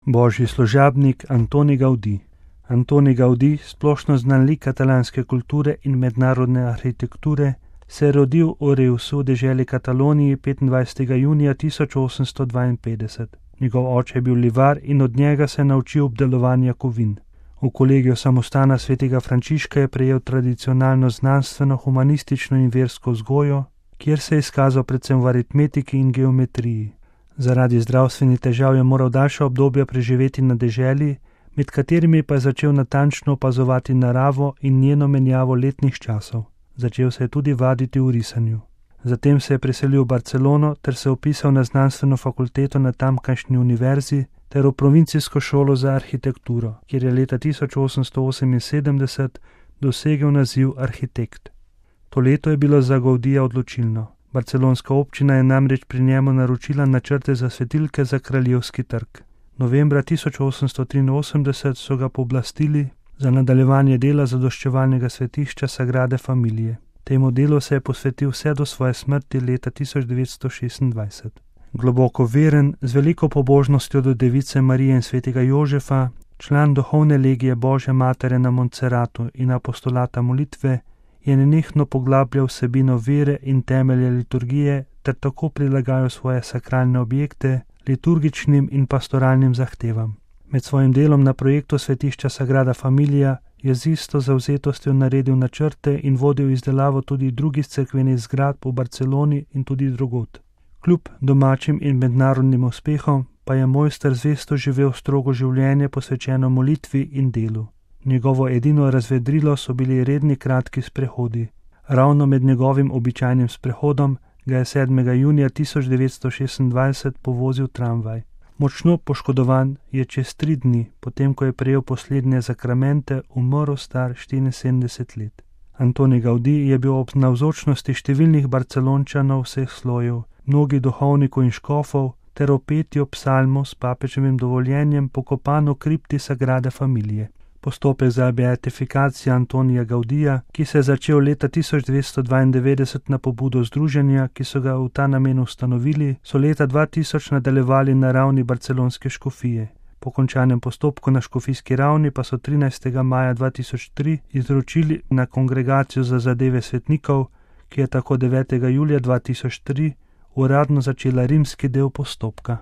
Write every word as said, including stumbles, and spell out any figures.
Božji služabnik Antoni Gaudí. Antoni Gaudí, splošno znan lik katalanske kulture in mednarodne arhitekture, se je rodil v Reusu, deželi Kataloniji, petindvajsetega junija tisoč osemsto dvainpetdeset. Njegov oče je bil livar in od njega se je naučil obdelovanja kovin. V kolegiju samostana svetega Frančiška je prejel tradicionalno znanstveno, humanistično in versko vzgojo, kjer se je izkazal predvsem v aritmetiki in geometriji. Zaradi zdravstvenih težav je moral daljša obdobja preživeti na deželi, med katerimi pa je začel natančno opazovati naravo in njeno menjavo letnih časov. Začel se je tudi vaditi v risanju. Zatem se je preselil v Barcelono ter se vpisal na znanstveno fakulteto na tamkajšnji univerzi ter v provincijsko šolo za arhitekturo, kjer je leta tisoč osemsto oseminsedemdeset dosegel naziv arhitekt. To leto je bilo za Gaudija odločilno. Barcelonska občina je namreč pri njemu naročila načrte za svetilke za Kraljevski trg. Novembra tisoč osemsto triinosemdeset so ga pooblastili za nadaljevanje dela zadoščevalnega svetišča Sagrade Familije. Temu delu se je posvetil vse do svoje smrti leta tisoč devetsto šestindvajset. Globoko veren, z veliko pobožnostjo do Device Marije in svetega Jožefa, član duhovne legije Božje matere na Montserratu in apostolata molitve, je nenehno poglabljal vsebino vere in temelje liturgije ter tako prilagajal svoje sakralne objekte liturgičnim in pastoralnim zahtevam. Med svojim delom na projektu svetišča Sagrada Familija je z isto zavzetostjo naredil načrte in vodil izdelavo tudi drugih cerkvenih zgradb v Barceloni in tudi drugod. Kljub domačim in mednarodnim uspehom pa je mojster zvesto živel strogo življenje posvečeno molitvi in delu. Njegovo edino razvedrilo so bili redni kratki sprehodi. Ravno med njegovim običajnim sprehodom ga je sedmega junija tisoč devetsto šestindvajset povozil tramvaj. Močno poškodovan je čez tri dni, potem ko je prejel poslednje zakramente, umrl star štiriinsedemdeset let. Antoni Gaudí je bil ob navzočnosti številnih Barcelončanov vseh slojev, mnogih duhovnikov in škofov ter ob petju psalmov s papeževim dovoljenjem pokopan v kripti Sagrade Familije. Postopek za beatifikacijo Antonija Gaudija, ki se je začel leta tisoč devetsto dvaindevetdeset na pobudo združenja, ki so ga v ta namen ustanovili, so leta dva tisoč nadaljevali na ravni barcelonske škofije. Po končanem postopku na škofijski ravni pa so trinajstega maja dva tisoč tri izročili na Kongregacijo za zadeve svetnikov, ki je tako devetega julija dva tisoč tri uradno začela rimski del postopka.